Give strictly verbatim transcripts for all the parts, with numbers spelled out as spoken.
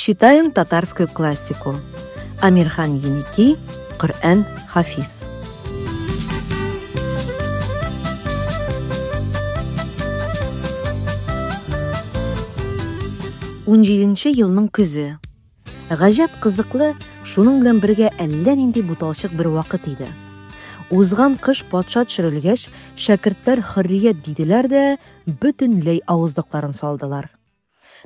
Читаем татарскую классику. Амирхан Еники, Коръән Хафиз. Унҗиденче елның көзе. Гаҗәп кызыклы, шуның белән бергә әллә нинди буталчык бер вакыт иде. Узган кыш патша төшерелгәч, шәкертләр хөррият диделәр дә, бөтенләй авызлыкларын салдылар.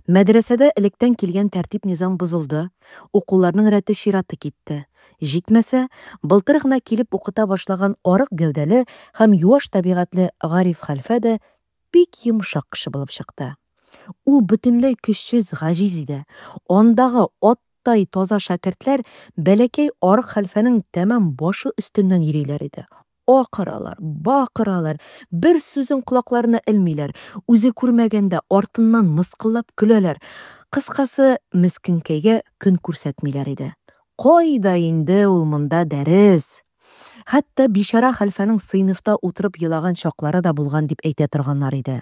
Мәдрәсәдә электән килгән тәртип-низам бозылды, укуларның рәте-чираты китте. Җитмәсә, былтыр гына килеп укыта башлаган арык гәүдәле һәм юаш табигатьле Гариф хәлфә дә бик йомшак кеше булып чыкты. Ул бөтенләй көчсез, гаҗиз иде. Андагы аттай таза шәкертләр бәләкәй арык хәлфәнең тәмам башы өстеннән йөриләр иде. Акыралар, бакыралар, бер сүзен колакларына элмиләр, үзе күрмәгәндә артыннан мыскыллап көләләр. Кыскасы, мескенкәйгә көн күрсәтмиләр иде. Кайда инде ул монда дәрес? Хәтта бичара хәлфәнең сыйныфта утырып елаган чаклары да булган дип әйтә торганнар иде.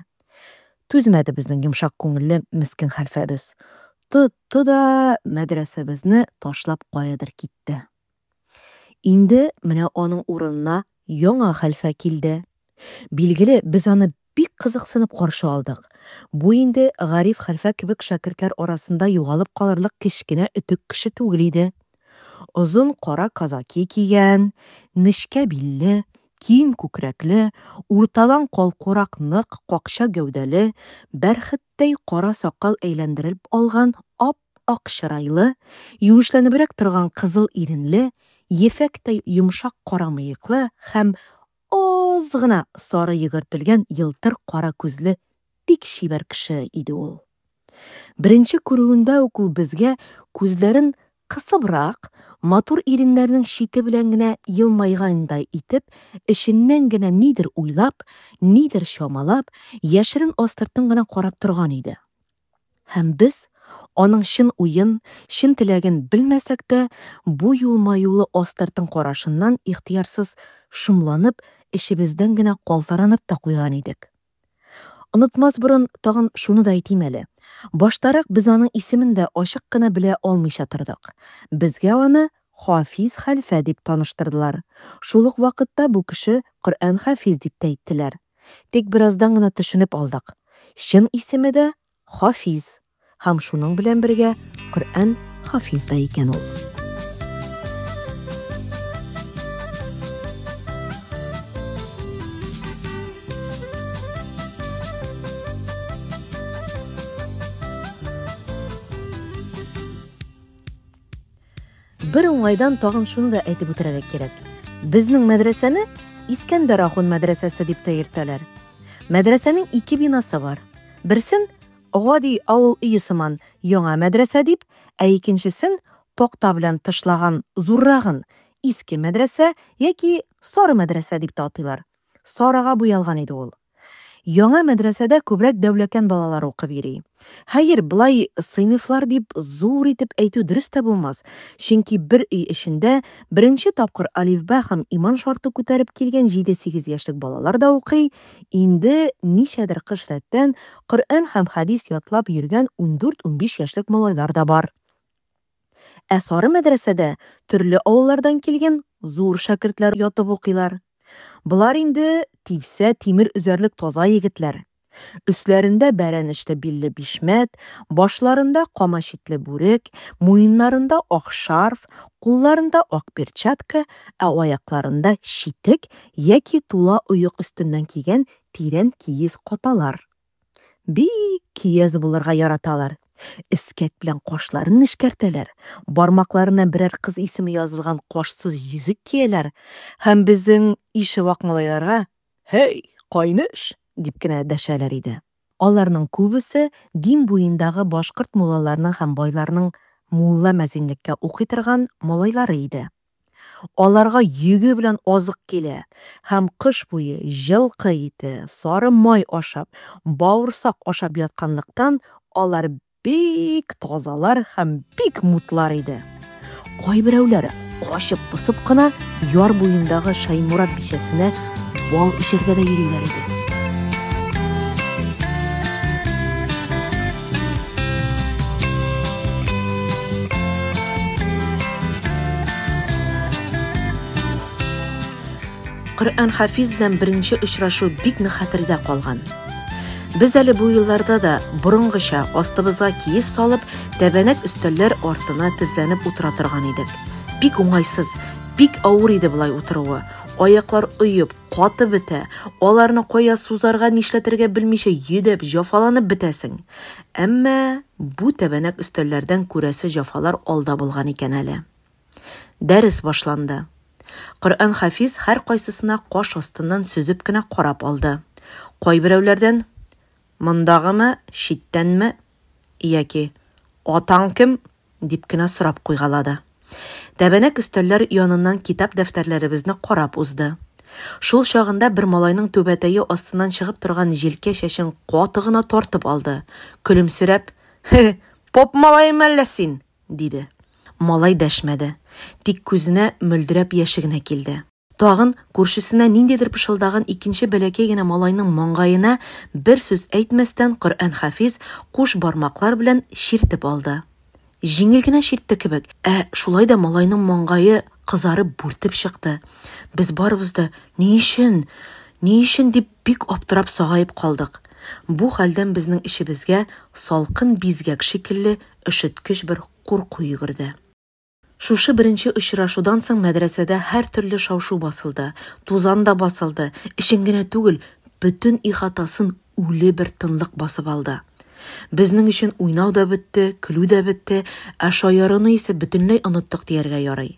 Түзмәде безнең йомшак күңелле мескен хәлфәбез. Тотты да мәдрәсәбезне ташлап каядыр китте. Инде менә аның урынына яңа хәлфә килде. Билгеле, без аны бик кызыксынып каршы алдык. Бу инде Гариф хәлфә кебек шәкертләр арасында югалып калырлык кечкенә өтек кеше түгел иде. Озын кара казаки кигән, нечкә билле, киң күкрәкле, уртадан калкурак нык, какча гәүдәле, бәрхеттәй кара сакал әйләндереп алган ап-ак чырайлы, юешләнебрәк торган кызыл иренле, ефәктәй йомшак кара мыеклы һәм аз гына сары йөгертелгән елтыр кара күзле бик чибәр кеше иде ул. Беренче күрүендә үк ул безгә күзләрен кысыбрак, матур иреннәренең чите белән генә елмайгандай итеп, эченнән генә нидер уйлап, нидер чамалап, яшерен астыртын гына карап торган иде. Һәм без аның чын уен, чын теләген белмәсәк тә, бу елмаюлы астыртын карашыннан ихтыярсыз шомланып, эчебездән генә калтыранып та куйган идек. Онытмас борын тагын шуны да әйтим әле. Баштарак без аның исемен дә ачык кына белә алмыйча тордык. Безгә аны Хафиз хәлфә дип таныштырдылар. Шул ук вакытта бу кеше Коръән Хафиз дип тә әйттеләр. Тик бераздан гына төшенеп алдык. Чын исеме дә Хафиз һәм шуның белән бергә Коръән Хафиз да икән ул. Бер уңайдан тагын шуны да әйтеп үтәргә кирәк. Безнең мәдрәсәне Искәндәр ахун мәдрәсәсе дип тә йөртәләр. Мәдрәсәнең ике бинасы бар. Берсен гади авыл өе сыман яңа мәдрәсә дип, ә икенчесен такта белән тышлаган зуррагын иске мәдрәсә яки сары мәдрәсә дип тә атыйлар. Сарыга буялган иде ул. Яңа мәдрәсәдә күбрәк дәүләкән балалары укып йөри. Хәер, болай сыйныфлар дип зур итеп әйтү дөрес тә булмас, чөнки бер өй эчендә беренче тапкыр алифбә һәм иман шарты күтәреп килгән җиде-сигез яшьлек балалар да укый, инде ничәдер кыш рәттән Коръән һәм хәдис ятлап йөргән ундүрт-унбиш яшьлек малайлар да бар. Ә сары мәдрәсәдә төрле авыллардан килгән зур шәкертләр ятып укыйлар. Болар инде типсә тимер өзәрлек таза егетләр. Өсләрендә бәрәнешле билле бишмәт, башларында кама читле бүрек, муеннарында ак шарф, кулларында ак перчатка, ә аякларында читек яки тула оек өстеннән кигән тирән киез каталар. Бик кияз булырга яраталар. Эскәк белән кашларын нечкәртәләр, бармакларына берәр кыз исеме язылган кашсыз йөзек кияләр һәм безнең ише вак малайларга «Һей, кайныш!» дип кенә дәшәләр иде. Аларның күбесе Дим буендагы башкорт муллаларының һәм байларының мулла мәзинлеккә укый торган малайлары иде. Аларга йөге белән азык килә һәм кыш буе җылкы ите, сары май ашап, бавырсак ашап ятканлыктан алар бик тазалар һәм бик мутлар иде. Кайберәүләре качып-посып кына яр буендагы Шаймурат бичәсенә бал эчәргә дә йөриләр иде. Коръән Хафиз белән беренче очрашу бик нык хәтердә калган. Без әле бу елларда да борынгыча астыбызга киез салып, тәбәнәк өстәлләр артына тезләнеп утыра торган идек. Бик уңайсыз, бик авыр иде болай утыруы. Аяклар оеп, каты бетә, аларны кая сузарга, нишләтергә белмичә йөдәп, җафаланып бетәсең. Әмма бу тәбәнәк өстәлләрдән күрәсе җафалар алда булган икән әле. Дәрес башланды. Коръән Хафиз һәркайсысына каш астыннан сөзеп кенә карап алды. Кайберәүләрдән: "Мондагымы, читтәнме?" яки "Атаң кем?" дип кенә сорап куйгалады. Тәбәнәк өстәлләр яныннан китап дәфтәрләребезне карап узды. Шул чагында бер малайның түбәтәе астыннан чыгып торган җилкә чәчен каты гына тартып алды. Көлемсерәп: "Хе, поп малаемы әллә син?" диде. Малай дәшмәде. Тик күзенә мөлдерәп яше генә килде. Тагын күршесенә ниндидер пышылдаган икенче бәләкәй генә малайның маңгаена бер сүз әйтмәстән Коръән Хафиз куш бармаклар белән чиртеп алды. Җиңел генә чиртте кебек, ә шулай да малайның маңгае кызарып бүртеп чыкты. Без барыбыз да ни өчен, ни өчен дип бик аптырап сагаеп калдык. Бу хәлдән безнең эчебезгә салкын бизгәк шикелле өшеткеч бер курку йөгерде. Шушы беренче очрашудан соң мәдрәсәдә һәр төрле шау-шу басылды, тузан да басылды, эчен генә түгел, бөтен ихатасын үле бер тынлык басып алды. Безнең өчен уйнау да бетте, көлү дә бетте, ә шаяруны исә бөтенләй оныттык дияргә ярый.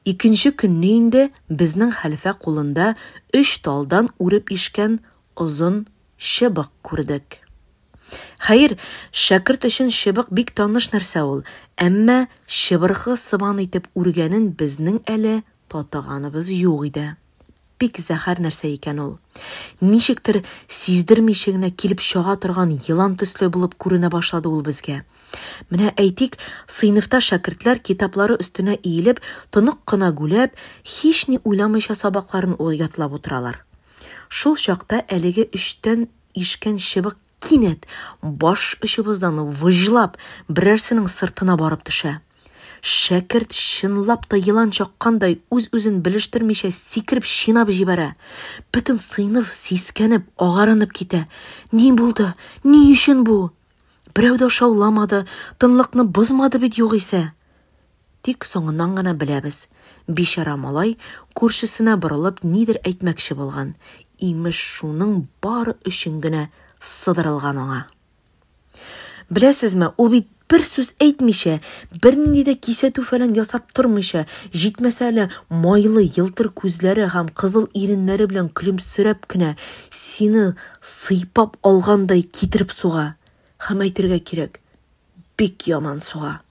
Икенче көнне инде безнең хәлфә кулында өч талдан үреп ишкән озын чыбык күрдек. Хәер, шәкерт өчен чыбык бик таныш нәрсә ул, әмма чыбыркы сыман итеп үргәнен безнең әле татыганыбыз юк иде. Бик зәһәр нәрсә икән ул. Ничектер сиздермичә генә килеп чага торган елан төсле булып күренә башлады ул безгә. Менә әйтик, сыйныфта шәкертләр китаплары өстенә иелеп, тонык кына гүләп, һични уйламыйча сабакларын ятлап утыралар. Шул чакта әлеге өчтән ишкән чыбык кинәт баш очыбыздан выжлап берәрсенең сыртына барып төшә. Шәкерт чынлап та елан чаккандай үз-үзен белештермичә сикереп чинап җибәрә. Бөтен сыйныф сискәнеп, агарынып китә. Ни булды? Ни өчен бу? Берәү дә шауламады, тынлыкны бозмады бит югыйсә. Тик соңыннан гына беләбез. Бичара малай күршесенә борылып нидер әйтмәкче булган. Имеш, шуның бары өчен генә сыдырылган аңа. Беләсезме, ул бит бер сүз әйтмичә, бернинди дә кисәтү фәлән ясап тормыйча, җитмәсә әле майлы елтыр күзләре һәм кызыл иреннәре белән көлемсерәп кенә сине сыйпап алгандай китереп суга. Һәм әйтергә кирәк, бик яман суга.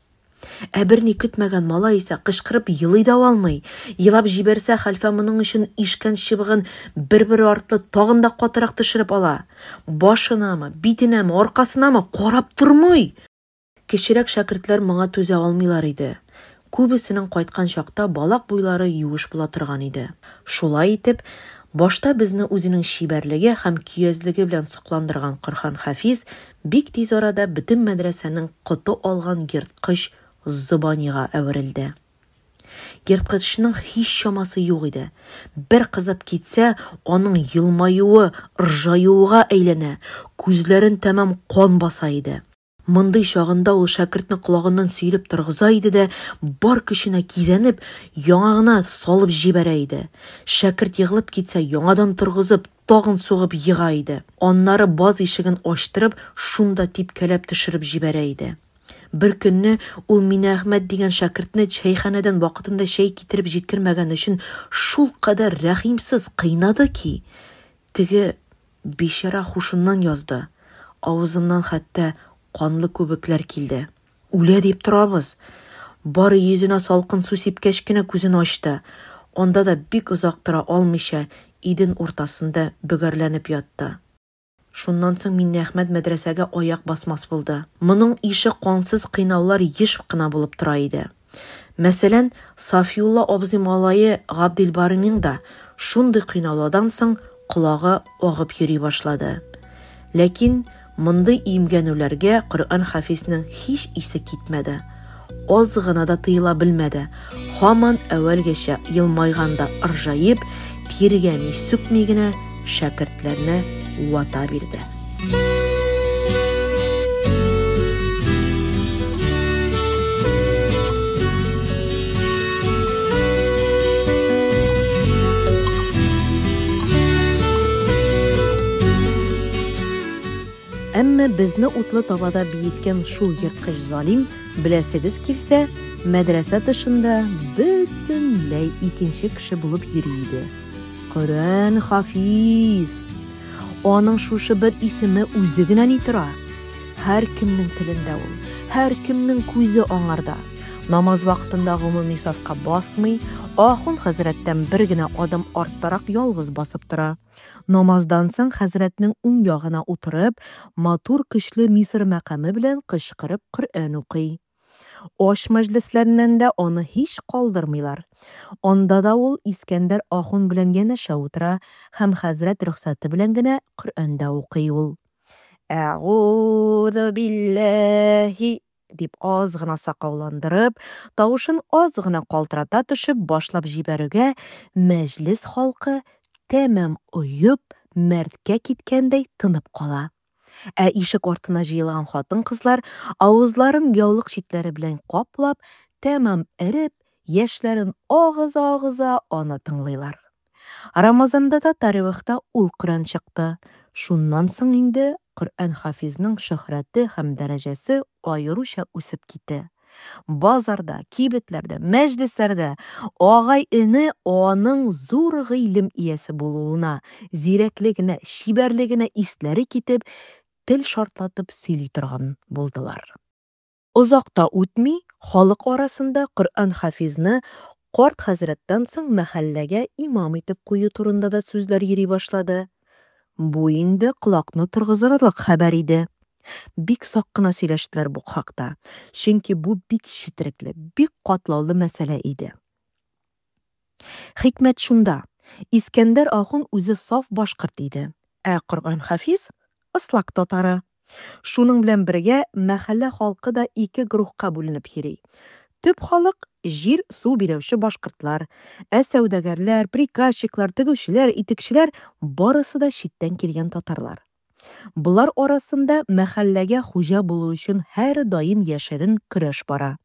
Ә берни көтмәгән малай исә кычкырып елый да алмый. Елап җибәрсә, хәлфә моның өчен ишкән чыбыгын бер-бер артлы тагын да катырак төшереп ала. Башынамы, битенәме, аркасынамы карап тормый. Кечерәк шәкертләр моңа түзә алмыйлар иде. Күбесенең кайткан чакта балак буйлары юеш була торган иде. Шулай итеп, башта безне үзенең чибәрлеге һәм көязлеге белән сокландырган Коръән Хафиз бик тиз арада бөтен мәдрәсәнең коты алган ерткыч зобанига әверелде. Ерткычның һич чамасы юк иде. Бер кызып китсә, аның елмаюы ыржаюга әйләнә, күзләрен тәмам кан баса иде. Мондый чагында ул шәкертне колагыннан сөйләп торгыза иде дә, бар көченә кизәнеп, яңагына салып җибәрә иде. Шәкерт егылып китсә, яңадан торгызып, тагын сугып ега иде. Аннары баз ишеген ачтырып, шунда типкәләп төшереп җибәрә иде. Бер көнне ул Минәхмәт дигән шәкертне чәйханәдән вакытында чәй китереп җиткермәгән өчен шул кадәр рәхимсез кыйнады ки, теге бичара хушыннан язды. Авызыннан хәтта канлы күбекләр килде. Үлә дип торабыз. Бары йөзенә салкын су сипкәч кенә күзен ачты. Анда да бик озак тора алмыйча, иден уртасында бөгәрләнеп ятты. Шуннан соң Миннәхмәт мәдрәсәгә аяк басмас булды. Моның ише кансыз кыйнаулар еш кына булып тора иде. Мәсәлән, Сафиулла абзый малае Габделбарының да шундый кыйнаулардан соң колагы агып йөри башлады. Ләкин мондый имгәнүләргә Коръән Хафизның һич исе китмәде. Аз гына да тыела белмәде. Һаман әүвәлгечә елмайганда ыржаеп, Тиргәми-сүкми генә шәкертләрне вата бирде. Әмма безне утлы табада биеткән шул ерткыч залим, беләсегез килсә, мәдрәсә тышында бөтенләй икенче кеше булып йөри иде. Коръән Хафиз! Аның шушы бер исеме үзе генә ни тора? Һәркемнең телендә ул, һәркемнең күзе аңарда. Намаз вакытында гомуми сафка басмый, ахун хәзрәттән бер генә адым арттарак ялгыз басып тора. Намаздан соң хәзрәтнең уң ягына утырып, матур көчле Мисыр мәкаме белән кычкырып Коръән укый. Аш мәҗлесләреннән дә аны һич калдырмыйлар. Анда да ул Искәндәр ахун белән янәшә утыра һәм хәзрәт рөхсәте белән генә Коръән дә укый ул. Әгуҙу билләһи дип аз гына сакауландырып, тавышын аз гына калтырата төшеп башлап җибәрүгә, мәҗлес халкы тәмам оеп, мәрткә киткәндәй тынып кала. Ә ишек артына җыелган хатын-кызлар авызларын яулык читләре белән каплап, тәмам эреп, яшьләрен агыза-агыза аны тыңлыйлар. Рамазанда да таравихта ул Коръән чыкты. Шуннан соң инде Коръән Хафизның шөһрәте һәм дәрәҗәсе аеруча үсеп китте. Базарда, кибетләрдә, мәҗлесләрдә агай-эне аның зур гыйлем иясе булуына, зирәклегенә, чибәрлегенә исләре китеп, тел шартлатып сөйли торган булдылар. Озак та үтми, халык арасында Коръән Хафизны карт хәзрәттән соң мәхәлләгә имам итеп кую турында да сүзләр йөри башлады. Бу инде колакны торгызырлык хәбәр иде. Бик сак кына сөйләштеләр бу хакта, чөнки бу бик четерекле, бик катлаулы мәсьәлә иде. Хикмәт шунда, Искәндәр ахун үзе саф башкорт иде, ә Коръән Хафиз ыслак татары. Шуның белән бергә мәхәллә халкы да ике груһка бүленеп йөри. Төп халык җир-су биләүче башкортлар, ә сәүдәгәрләр, приказчиклар, тегүчеләр, итекчеләр барысы да читтән килгән татарлар. Болар арасында мәхәлләгә хуҗа булу өчен һәрдаим яшерен көрәш бара.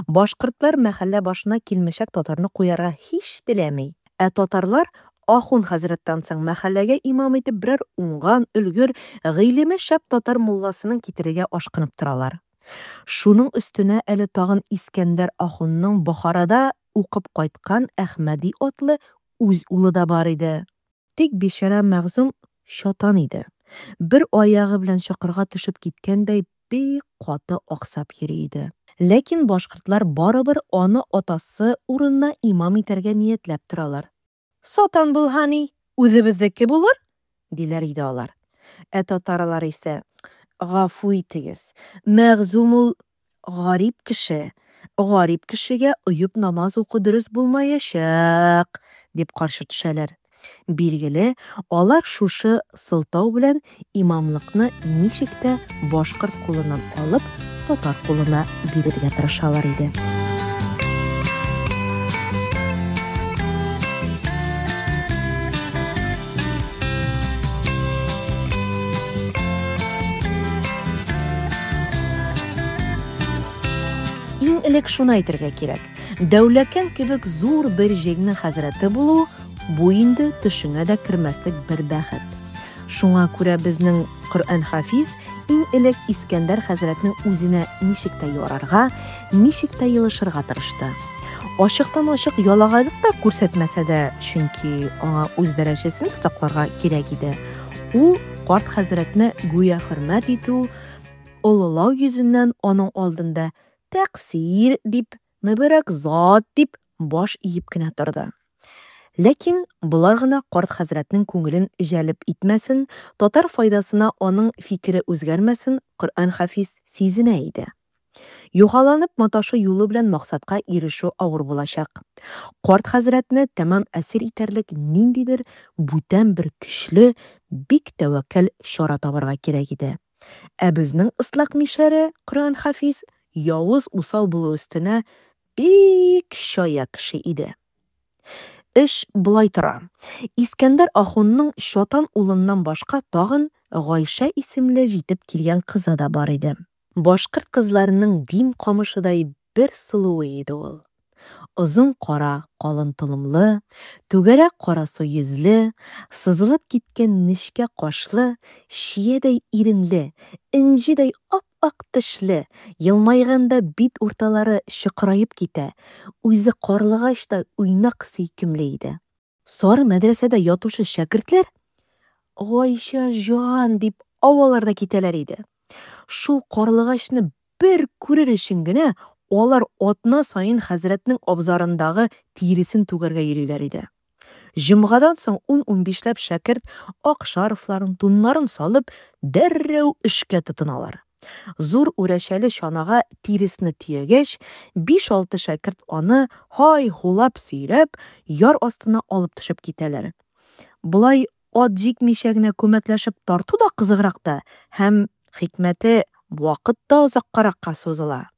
Башкортлар мәхәллә башына килмешәк татарны куярга һич теләми. Ә татарлар ахун хәзрәттән соң мәхәлләгә имам итеп берәр уңган, өлгер, гыйлеме шәп татар мулласының китерергә ашкынып торалар. Шуның өстенә әле тагын Искәндәр ахунның Бохарада укып кайткан Әхмәди атлы үз улы да бар иде. Тик бичара Мәгъзүм чатан иде. Бер аягы белән чокырга төшеп киткәндәй бик каты аксап йөри иде. Ләкин башкортлар барыбер аны атасы урынына имам итәргә ниятләп торалар. Сатан булһа ни, үзебезнеке булыр, диләр иде алар. Ә татарлар исә, гафу итегез, Мәгъзүм ул гарип кеше, гарип кешегә оеп намаз уку дөрес булмаячак, дип каршы төшәләр. Билгеле, алар шушы сылтау белән имамлыкны ничек тә башкорт кулыннан алып, татар кулына бирергә тырышалар иде. Иң элек шуны әйтергә кирәк, Дәүләкән кебек зур бер җирнең хәзрәте булу, бу инде төшеңә дә кермәслек бер бәхет. Шуңа күрә безнең Коръән Хафиз иң элек Искәндәр хәзрәтнең үзенә ничек тә ярарга, ничек тә елышырга тырышты. Ачыктан-ачык ялагайлык та күрсәтмәсә дә, чөнки аңа үз дәрәҗәсен дә сакларга кирәк иде. Ул карт хәзрәтне гүя хөрмәт итү, олылау йөзеннән аның алдында тәкъсир дип, мөбарәк зат дип баш иеп кенә торды. Ләкин болар гына карт хәзрәтнең күңелен җәлеп итмәсен, татар файдасына аның фикере үзгәрмәсен Коръән Хафиз сизенә иде. Юхаланып маташу юлы белән максатка ирешү авыр булачак. Карт хәзрәтне тәмам әсир итәрлек ниндидер бүтән бер көчле, бик тәвәккәл чара табарга кирәк иде. Ә безнең ыслак мишәре Коръән Хафиз явыз усал булу өстенә бик чая кеше иде. Эш болай тора. Искәндәр ахунның чатан улыннан башка тагын Гайшә исемле җитеп килгән кызы да бар иде. Башкорт кызларының дим камышыдай бер сылуы иде ул. Озын кара калын толымлы, түгәрәк карасу йөзле, сызылып киткән нечкә кашлы, чиядәй иренле, энҗедәй ап-ак тешле, елмайганда бит урталары чокыраеп китә, үзе карлыгачтай уйнак сөйкемле иде. Сары мәдрәсәдә ятучы шәкертләр «Гайшә җан» дип авалар да китәләр иде. Шул карлыгачны бер күрер өчен генә алар атна саен хәзрәтнең абзарындагы тиресен түгәргә йөриләр иде. Җомгадан соң ун-унбишләп шәкерт ак шарфларын, туннарын салып, дәррәү эшкә тотыналар. Зур үрәчәле чанага тиресне төягәч, биш-алты шәкерт аны һай-һулап сөйрәп, яр астына алып төшеп китәләр. Болай ат җикмичә генә күмәкләшеп тарту да кызыграк та һәм, хикмәте, вакыт та озаккаракка сузыла.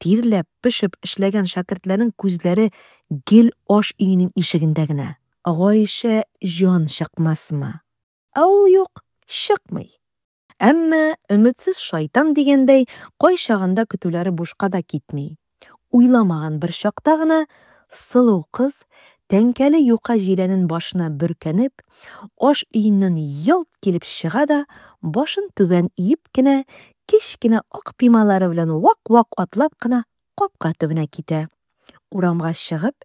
Тирләп-пешеп эшләгән шәкертләрнең күзләре гел аш өенең ишегендә генә. Гайшә җан чыкмасмы? Ә ул юк, чыкмый. Әмма өметсез шайтан дигәндәй, кайчагында көтүләре бушка да китми. Уйламаган бер чакта гына сылу кыз, тәңкәле юка җиләнен башына бөркәнеп, аш өеннән ялт килеп чыга да, башын түбән иеп кенә, кечкенә ак пималары белән вак-вак атлап кына капка төбенә китә. Урамга чыгып,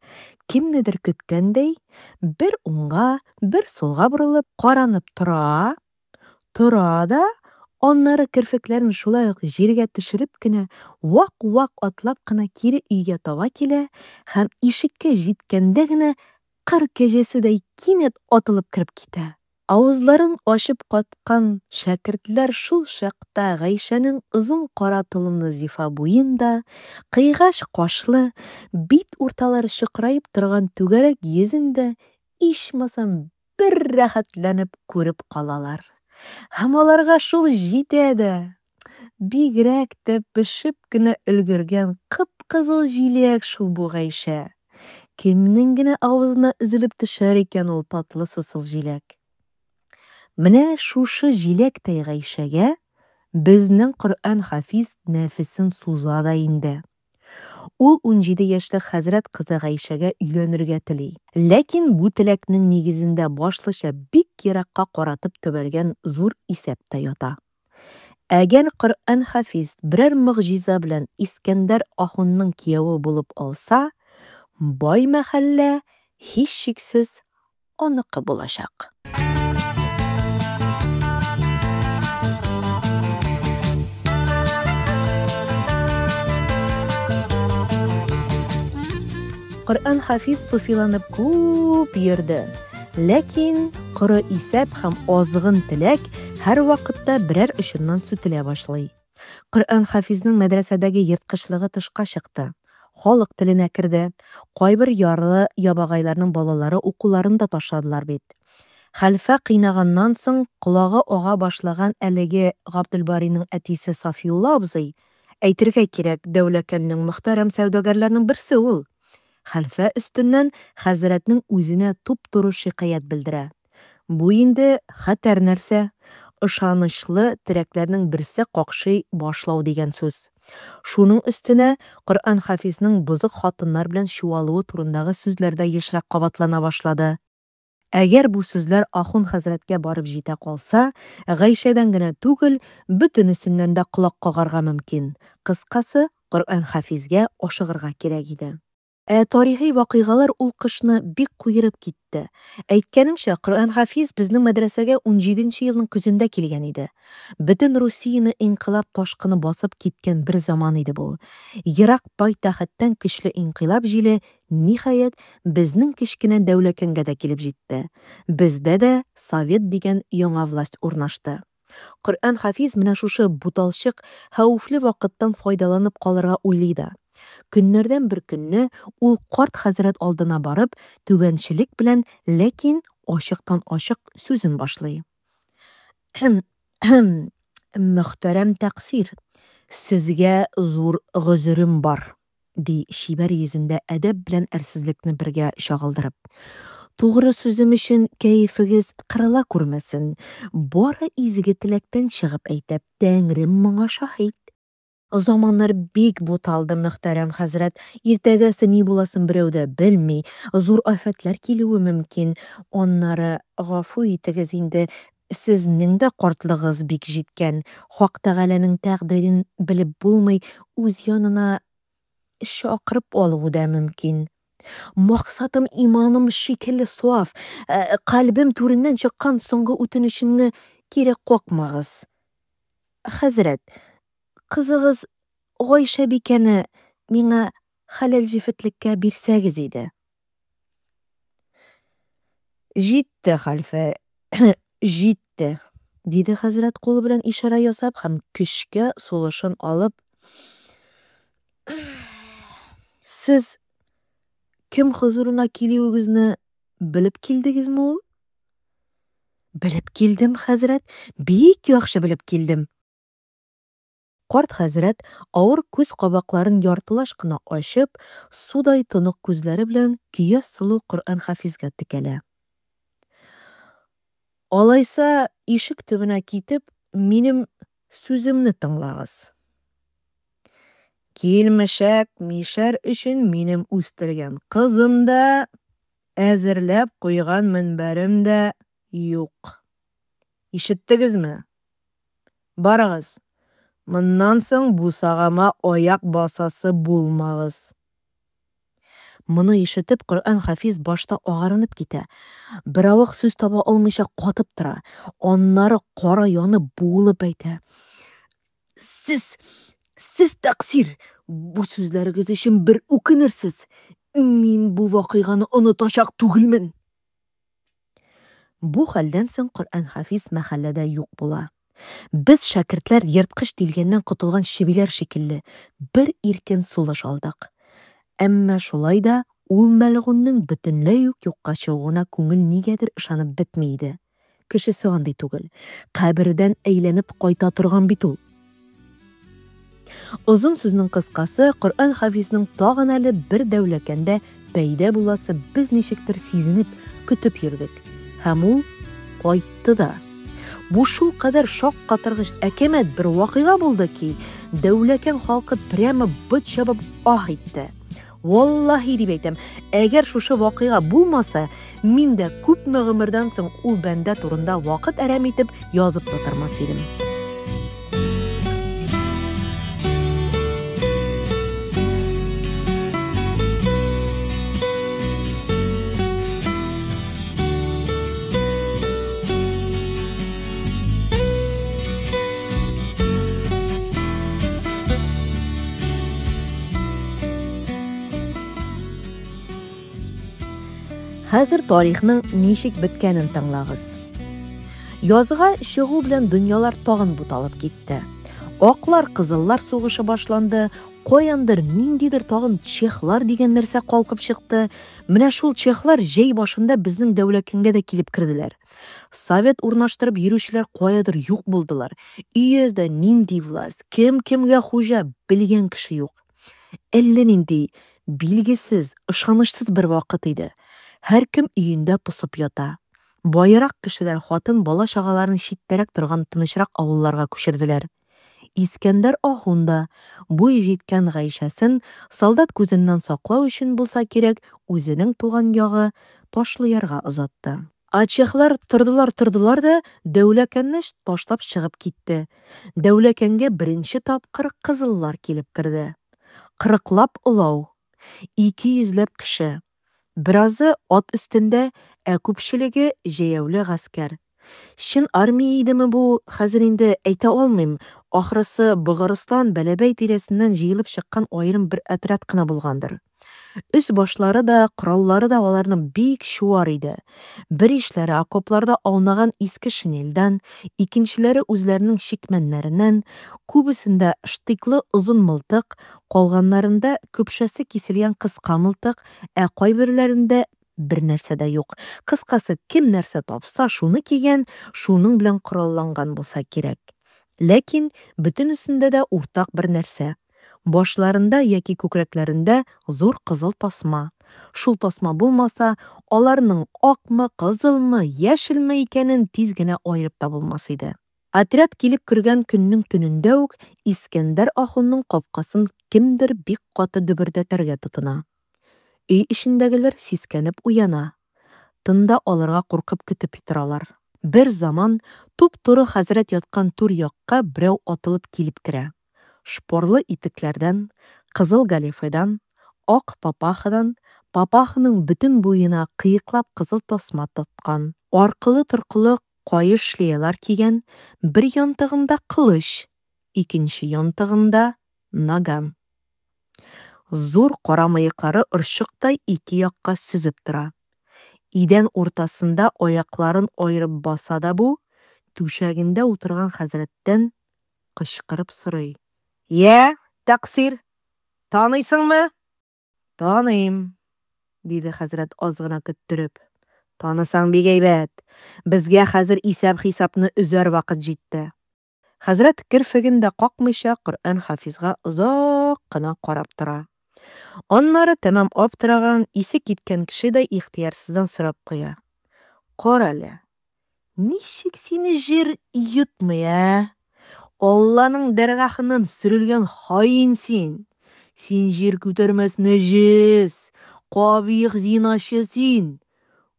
кемнедер көткәндәй, бер уңга, бер сулга борылып, каранып тора, тора да, аннары керфекләрен шулай ук җиргә төшереп кенә, вак-вак атлап кына кире өйгә таба килә һәм ишеккә җиткәндә генә кыр кәҗәседәй кинәт атылып кереп китә. Авызларын ачып каткан шәкертләр шул чакта Гайшәнең озын кара толымлы зифа буен да, кыйгач кашлы, бит урталары чокыраеп торган түгәрәк йөзен дә ичмасам бер рәхәтләнеп күреп калалар. Һәм аларга шул җитә дә. Бигрәк тә пешеп кенә өлгергән кып-кызыл җиләк шул бу Гайшә. Кемнең генә авызына өзелеп төшәр икән ул татлы сусыл җиләк? Менә шушы җиләктәй Гайшәгә безнең Коръән-Хафиз нәфесен суза да инде. Ул унҗиде яшьлек хәзрәт кызы Гайшәгә өйләнергә тели. Ләкин бу теләкнең нигезендә башлыча бик еракка каратып төбәлгән зур исәп тә ята. Әгәр Коръән-Хафиз берәр могҗиза белән Искәндәр ахунның кияве булып алса, бай мәхәллә, һичшиксез, аныкы булачак. Коръән-Хафиз суфиланып күп йөрде. Ләкин коры исәп һәм азгын теләк һәрвакытта берәр очыннан сүтелә башлый. Коръән-Хафизның мәдрәсәдәге ерткычлыгы тышка чыкты. Халык теленә керде. Кайбер ярлы-ябагайларның балалары укуларын да ташладылар бит. Хәлфә кыйнаганнан соң колагы ага башлаган әлеге Габделбарыйның әтисе Сафиулла абзый, әйтергә кирәк, Дәүләкәннең мөхтәрәм сәүдәгәрләренең берсе ул, хәлфә өстеннән хәзрәтнең үзенә туп-туры шикаять белдерә. Бу инде хәтәр нәрсә, ышанычлы терәкләрнең берсе какшый башлау дигән сүз. Шуның өстенә Коръән-Хафизның бозык хатыннар белән чуалуы турындагы сүзләр дә ешрак кабатлана башлады. Әгәр бу сүзләр ахун хәзрәткә барып җитә калса, Гайшәдән генә түгел, бөтенесеннән дә колак кагарга мөмкин. Кыскасы, Коръән-Хафизгә ашыгырга кирәк иде. Ә тарихи вакыйгалар ул кышны бик куерып китте. Әйткәнемчә, Коръән-Хафиз безнең мәдрәсәгә унҗиденче елның көзендә килгән иде. Бөтен Русияне инкыйлаб ташкыны басып киткән бер заман иде бу. Ерак пайтәхеттән көчле инкыйлаб җиле, ниһаять, безнең кечкенә Дәүләкәнгә дә килеп җитте. Бездә дә Совет дигән яңа власть урнашты. Коръән-Хафиз менә шушы буталчык, хәвефле вакыттан файдаланып калырга уйлый да. Көннәрдән бер көнне ул карт хәзрәт алдына барып, түбәнчелек белән, ләкин ачыктан-ачык сүзен башлый. Мөхтәрәм тәкъсир, сезгә зур гозерем бар. ди чибәр йөзендә әдәп белән әрсезлекне бергә чагылдырып. Тугры сүзем өчен кәефегез кырыла күрмәсен, бары изге теләктән чыгып әйтәм, Тәңрем моңа шаһит. Заманнар бик буталды, мөхтәрәм хәзрәт, иртәгәсе ни буласын берәү дә белми, зур афәтләр килүе мөмкин. Аннары, гафу итегез инде, сезнең дә картлыгыгыз бик җиткән, Хак Тәгаләнең тәкъдирен белеп булмый, үз янына чакырып алуы да мөмкин. Максатым иманым шикелле саф, кальбем түреннән чыккан соңгы үтенечемне кире какмагыз. Хәзрәт, кызыгыз Гайшәбикәне миңа хәләл җефетлеккә бирсәгез иде. Җитте, хәлфә, җитте, диде хәзрәт кулы белән ишарә ясап һәм көчкә сулышын алып. Сез кем хозурына килүегезне белеп килдегезме ул? Белеп килдем, хәзрәт, бик яхшы белеп килдем. Карт хәзрәт, авыр күз кабакларын яртылаш кына ачып, судай тонык күзләре белән көяз сылу Коръән-Хафизга текәлә. Алайса, ишек төбенә китеп, минем сүземне тыңлагыз. Килмешәк мишәр өчен минем үстергән кызым да, әзерләп куйган мөнбәрем дә юк. Ишеттегезме? Барыгыз, моннан соң бусагама аяк басасы булмагыз. Моны ишетеп, Коръән-Хафиз башта агарынып китә, беравык сүз таба алмыйча катып тора, аннары кара янып, буылып әйтә: Сез, сез тәкъсир, бу сүзләрегез өчен бер үкенерсез. Мин бу вакыйганы онытачак түгелмен. Бу хәлдән соң Коръән-Хафиз мәхәлләдә юк була. Без, шәкертләр, ерткыч тилгәннән котылган чебиләр шикелле, бер иркен сулыш алдык. Әмма шулай да ул мәлгуньнең бөтенләй үк юкка чыгуына күңел нигәдер ышанып бетми иде. Кешесе андый түгел, кабердән әйләнеп кайта торган бит ул. Озын сүзнең кыскасы, Коръән-Хафизның тагын әле бер Дәүләкәндә пәйда буласы без ничектер сизенеп, көтеп йөрдек. Һәм ул кайтты да. Бу шулкадәр шаккатыргыч әкәмәт бер вакыйга булды ки, Дәүләкән халкы прямо бот чабып аһ итте. Валлаһи дип әйтәм, әгәр шушы вакыйга булмаса, мин дә күпме гомердән соң ул бәндә турында вакыт әрәм итеп язып та тормас идем. Хәзер тарихның ничек беткәнен тыңлагыз. Язга чыгу белән дөньялар тагын буталып китте. Аклар, кызыллар сугышы башланды, каяндыр ниндидер тагын чехлар дигән нәрсә калкып чыкты. Менә шул чехлар җәй башында безнең Дәүләкәнгә дә килеп керделәр. Совет урнаштырып йөрүчеләр каядыр юк булдылар. Өяздә нинди власть, кем кемгә хуҗа, белгән кеше юк. Әллә нинди билгесез, ышанычсыз бер вакыт иде. Һәркем өендә посып ята. Баерак кешеләр хатын, бала-чагаларын читтәрәк торган тынычрак авылларга күчерделәр. Искәндәр ахун да, буй җиткән Гайшәсен солдат күзеннән саклау өчен булса кирәк, үзенең туган ягы Ташлыярга озатты. Ә чехлар тордылар-тордылар да Дәүләкәнне ташлап чыгып китте. Дәүләкәнгә беренче тапкыр кызыллар килеп керде. Кырыклап олау, ике йөзләп кеше. Беразы ат өстендә, ә күпчелеге җәяүле гаскәр. Чын армия идеме бу, хәзер инде әйтә алмыйм, ахрысы, Богарстан, Бәләбәй тирәсеннән җыелып чыккан аерым бер отряд кына булгандыр. Өс-башлары да, кораллары да аларның бик чуар иде. Беришләре окопларда аунаган иске шинельдән, икенчеләре үзләренең чикмәннәреннән, күбесендә штыклы озын мылтык, калганнарында көпшәсе киселгән кыска мылтык, ә кайберләрендә бернәрсә дә юк. Кыскасы, кем нәрсә тапса, шуны кигән, шуның белән коралланган булса кирәк. Ләкин бөтенесендә дә уртак бер нәрсә: Башларында яки күкрәкләрендә зур кызыл тасма. Шул тасма булмаса, аларның акмы, кызылмы, яшелме икәнен тиз генә аерып та булмас иде. Отряд килеп кергән көннең төнендә үк Искәндәр ахунның капкасын кемдер бик каты дөбердәтергә тотына. Өй эчендәгеләр сискәнеп уяна. Тын да алырга куркып көтеп торалар. Берзаман туп-туры хәзрәт яткан түр якка берәү атылып килеп керә. Шпорлы итекләрдән, кызыл галифедан, ак папахадан, папаханың бөтен буена кыеклап кызыл тасма тоткан, аркылы-торкылы каеш шлеялар кигән, бер янтыгында кылыч, икенче янтыгында наган. Зур кара мыеклары орчыктай ике якка сөзеп тора. Идән уртасында аякларын аерып баса да бу, түшәгендә утырган хәзрәттән кычкырып сорый: «Йә, тәкъсир, таныйсыңмы?» «Таныйм», диде хәзрәт аз гына көттереп. «Танысаң бик әйбәт. Безгә хәзер исәп-хисапны өзәр вакыт җитте». Хәзрәт керфеген дә какмыйча Коръән-Хафизга озак кына карап тора. Аннары тәмам аптыраган, исе киткән кешедәй ихтыярсыздан сорап куя: «Карале, ничек сине җир йотмый, ә? Алланың дәргяһыннан сөрелгән хаин син! Син җир күтәрмәс нәҗес, кабих зиначы син!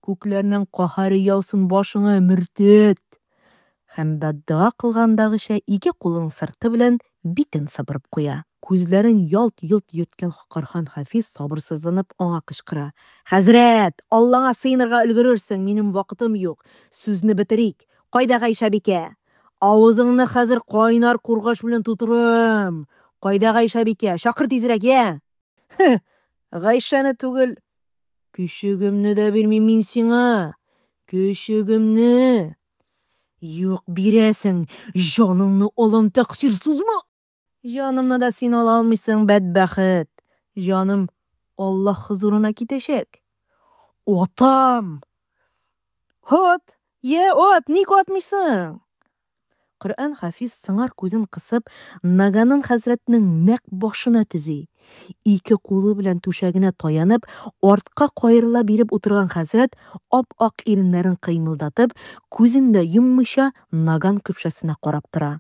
Күкләрнең каһәре яусын башыңа, мөртәт!» Һәм бәддога кылгандагыча ике кулының сырты белән битен сыпырып куя. Күзләрен ялт-йолт йөрткән Коръән-Хафиз сабырсызланып аңа кычкыра: «Хәзрәт, Аллаңа сыенырга өлгерерсең, минем вакытым юк, сүзне бетерик. Кайда Гайшәбикә? Авызыңны хәзер кайнар кургаш белән тутырам. Кайда Гайшәбикә? Чакыр тизрәк, йә!» «Һе, Гайшәне түгел, көчегемне дә бирмим мин сиңа! Көчегемне!» «Юк, бирәсең! Җаныңны алам, тәкъсир, сузма!» «Җанымны да син ала алмыйсың, бәдбәхет! Җаным Аллаһ хозурына китәчәк!» «Атам!» «Ат! Йә, ат, ник атмыйсың?» Коръән-Хафиз сыңар күзен кысып, наганын хәзрәтнең нәкъ башына төзи. Ике кулы белән түшәгенә таянып, артка каерыла биреп утырган хәзрәт ап-ак иреннәрен кыймылдатып, күзен дә йоммыйча наган көпшәсенә карап тора.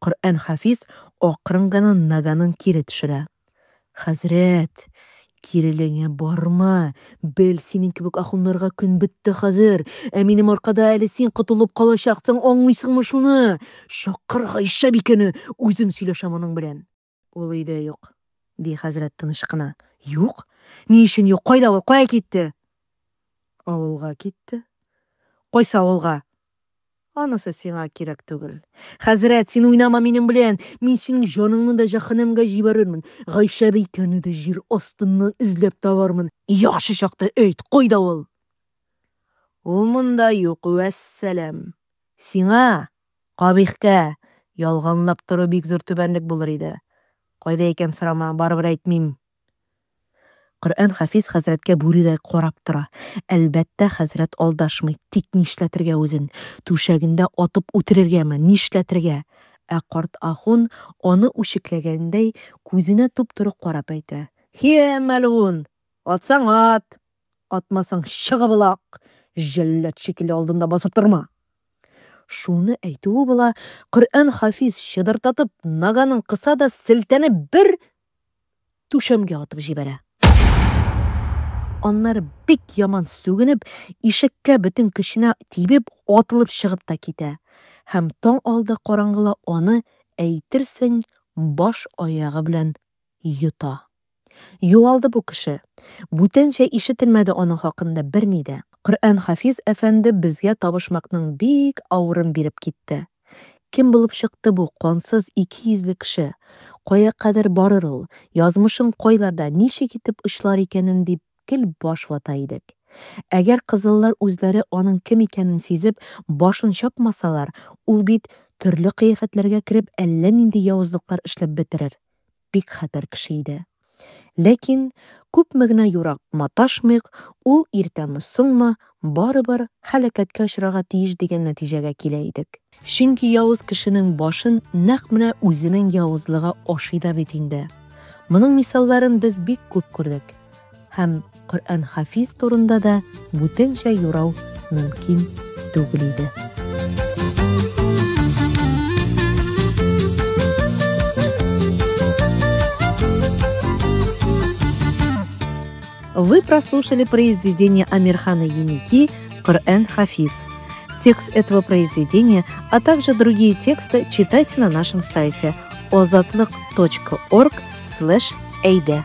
Коръән-Хафиз акрын гына наганын кире төшерә. «Хәзрәт, кирелегеңә барма, бел, синең кебек ахуннарга көн бетте хәзер, ә минем аркада әле син котылып калачаксың, аңлыйсыңмы шуны? Чакыр Гайшәбикәне, үзем сөйләшәм аның белән». «Ул өйдә юк», ди хәзрәт тыныч кына. «Юк? Ни өчен юк? Кайда ул? Кая китте?» «Авылга китте». «Кайсы авылга?» «Анысы сиңа кирәк түгел». «Хәзрәт, син уйнама минем белән, мин синең җаныңны да җәһәннәмгә җибәрермен, Гайшәбикәне дә җир астыннан эзләп табармын. Яхшы чакта әйт, кайда ул?» «Ул монда юк, вәссәлам. Сиңа, кабихкә, ялганлап тору бик зур түбәнлек булыр иде. Кайда икән сорама, барыбер әйтмим». Коръән-Хафиз хәзрәткә бүредәй карап тора. Әлбәттә, хәзрәт алдашмый, тик нишләтергә үзен? Түшәгендә атып үтерергәме? Нишләтергә? Ә карт ахун аны үчекләгәндәй күзенә туп-туры карап әйтә: «Һе, мәлгун, атсаң ат, атмасаң чыгып олак, җәллад шикелле алдымда басып торма!» Шуны әйтүе була, Коръән-Хафиз чыдырдатып наганын кыса да селтәнеп бер түшәмгә атып җибәрә. Аннары бик яман сүгенеп, ишеккә бөтен көченә тибеп, атылып чыгып та китә. Һәм таң алды караңгыла аны, әйтерсең, баш аягы белән йота. Югалды бу кеше. Бүтәнчә ишетелмәде аның хакында берни дә. Коръән-Хафиз әфәнде безгә табышмакның бик авырын биреп китте. Кем булып чыкты бу кансыз икейөзле кеше? Кая кадәр барыр ул? Язмышын кайларда, ничек итеп очлар икәнен дип гел баш вата идек. Әгәр кызыллар үзләре аның кем икәнен сизеп, башын чапмасалар, ул бит төрле кыяфәтләргә кереп әллә нинди явызлыклар эшләп бетерер. Бик хәтәр кеше иде. Ләкин күпме генә юрап маташмыйк, ул иртәме-соңмы барыбер һәлакәткә очрарга тиеш дигән нәтиҗәгә килә идек. Чөнки явыз кешенең башын нәкъ менә үзенең явызлыгы ашый да бит инде. Моның мисалларын без бик күп күрдек. Һәм Коръән Хафиз турында да бүтәнчә юрау мөмкин түгел иде. Вы прослушали произведение Амирхана Еники «Коръән Хафиз». Текст этого произведения, а также другие тексты читайте на нашем сайте озатлык точка орг слэш эйдэ.